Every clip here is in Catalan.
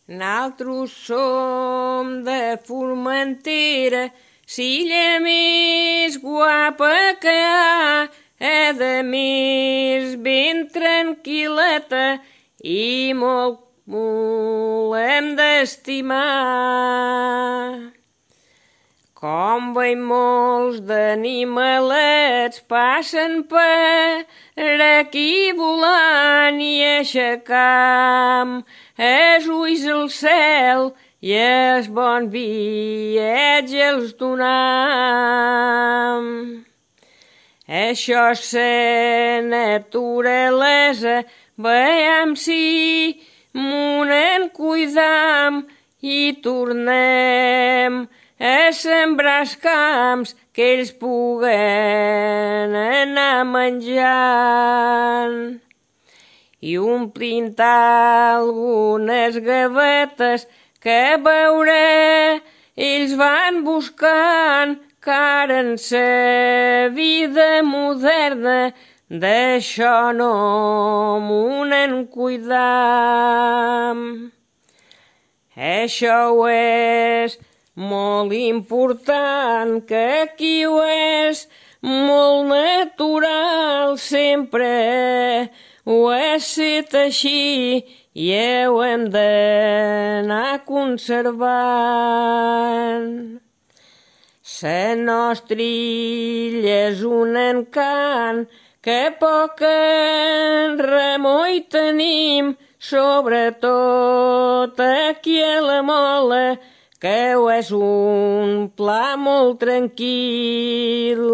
Naltros som de Formentera, l'illa més guapa que hi ha, de més ben tranquil·leta i molt hem d'estimar. Com veiem molts d'animalets passen per aquí volant i aixecam els ulls al cel i el bon viatge els donam. Això és la naturalesa, veiem si m'ho en cuidam i tornem a sembrar els camps que ells puguen anar menjant. I omplint algunes gavetes que veure ells van buscant, car en sa vida moderna d'això no m'ho en cuidam. Això és molt important, que aquí ho és molt natural, sempre ho ha estat així i ho hem d'anar conservant. La nostra illa és un encant, que poc en remoi tenim, sobretot aquí a la Mola, que és un pla molt tranquil.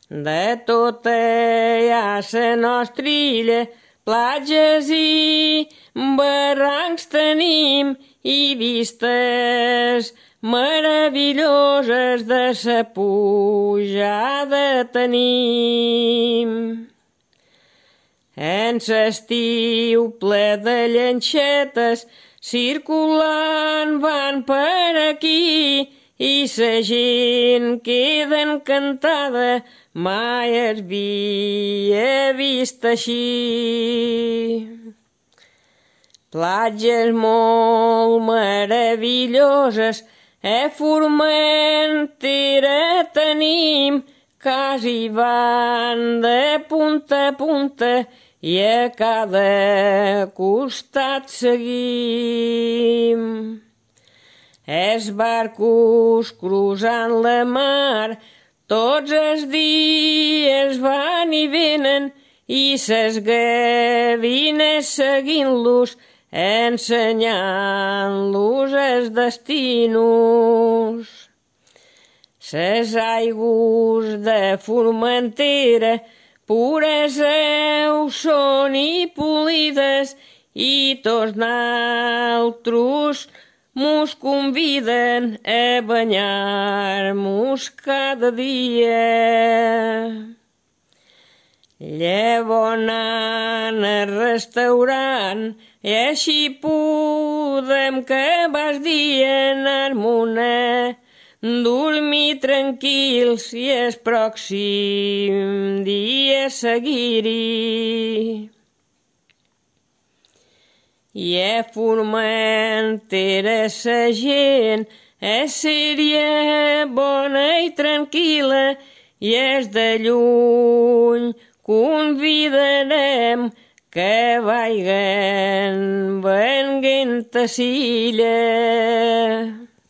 De tota ja la nostra illa, platges i barrancs tenim i vistes meravelloses de sa pujada tenim. En l'estiu ple de llanxetes circulant van per aquí i la gent queda encantada, mai es havia vist així. Platges molt meravelloses a Formentera tenim, quasi van de punta a punta i a cada costat seguim. Els barcos cruzant la mar tots els dies van i venen i ses gavines seguint-los, ensenyant-los els destinos. Ses aigües de Formentera pures ho són i polides i tots naltros mos conviden a banyar-mos cada dia. Llavors anant al restaurant i així podem que vas dia anar-mon dormir tranquils i el pròxim dia seguir-hi. I a Formentera sa gent seria bona i tranquil·la i és de lluny convidarem que vagin venguent a l'illa.